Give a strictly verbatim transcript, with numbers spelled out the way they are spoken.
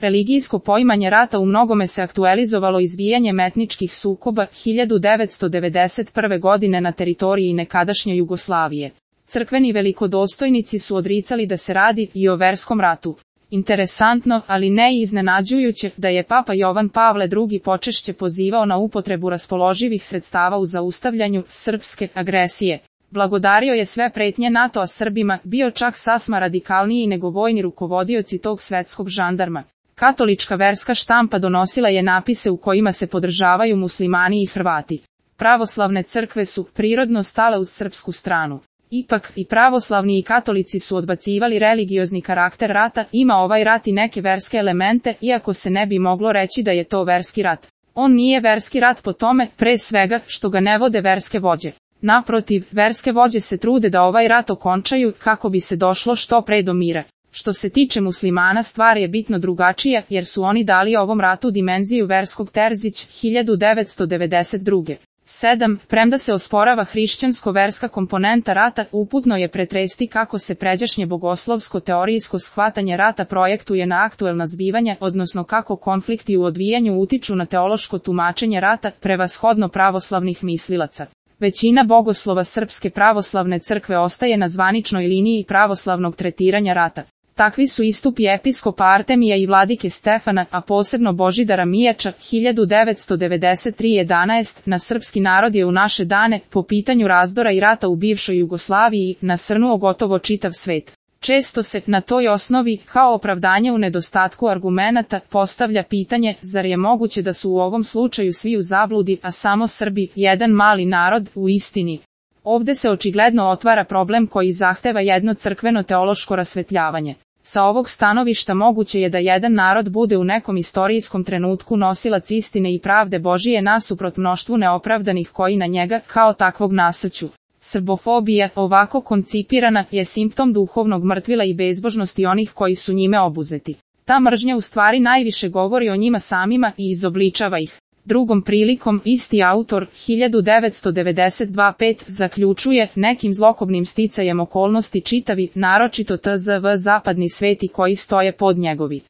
Religijsko poimanje rata u mnogome se aktualizovalo izbijanjem etničkih sukoba hiljadu devetsto devedeset prve. godine na teritoriji nekadašnje Jugoslavije. Crkveni velikodostojnici su odricali da se radi i o verskom ratu. Interesantno, ali ne i iznenađujuće, da je Papa Jovan Pavle drugi počešće pozivao na upotrebu raspoloživih sredstava u zaustavljanju srpske agresije. Blagodario je sve pretnje NATO-a Srbima, bio čak sasma radikalniji nego vojni rukovodioci tog svetskog žandarma. Katolička verska štampa donosila je napise u kojima se podržavaju muslimani i Hrvati. Pravoslavne crkve su prirodno stale uz srpsku stranu. Ipak, i pravoslavni i katolici su odbacivali religiozni karakter rata, ima ovaj rat i neke verske elemente, iako se ne bi moglo reći da je to verski rat. On nije verski rat po tome, pre svega, što ga ne vode verske vođe. Naprotiv, verske vođe se trude da ovaj rat okončaju, kako bi se došlo što pre do mira. Što se tiče muslimana, stvar je bitno drugačija, jer su oni dali ovom ratu dimenziju verskog Terzić hiljadu devetsto devedeset druge. sedam. Premda se osporava hrišćansko-verska komponenta rata, uputno je pretresti kako se pređašnje bogoslovsko-teorijsko shvatanje rata projektuje na aktuelna zbivanja, odnosno kako konflikti u odvijanju utiču na teološko tumačenje rata, prevashodno pravoslavnih mislilaca. Većina bogoslova Srpske pravoslavne crkve ostaje na zvaničnoj liniji pravoslavnog tretiranja rata. Takvi su istupi episkopa Artemija i vladike Stefana, a posebno Božidara Mijača, hiljadu devetsto devedeset tri jedanaest, na srpski narod je u naše dane, po pitanju razdora i rata u bivšoj Jugoslaviji, nasrnuo gotovo čitav svet. Često se, na toj osnovi, kao opravdanje u nedostatku argumenata, postavlja pitanje, zar je moguće da su u ovom slučaju svi u zabludi, a samo Srbi, jedan mali narod, u istini. Ovde se očigledno otvara problem koji zahteva jedno crkveno teološko rasvetljavanje. Sa ovog stanovišta moguće je da jedan narod bude u nekom istorijskom trenutku nosilac istine i pravde Božije nasuprot mnoštvu neopravdanih koji na njega, kao takvog nasrću. Srbofobija, ovako koncipirana, je simptom duhovnog mrtvila i bezbožnosti onih koji su njime obuzeti. Ta mržnja u stvari najviše govori o njima samima i izobličava ih. Drugom prilikom, isti autor, hiljadu devetsto devedeset dva pet, zaključuje, nekim zlokobnim sticajem okolnosti čitavi, naročito T Z V zapadni sveti koji stoje pod njegovi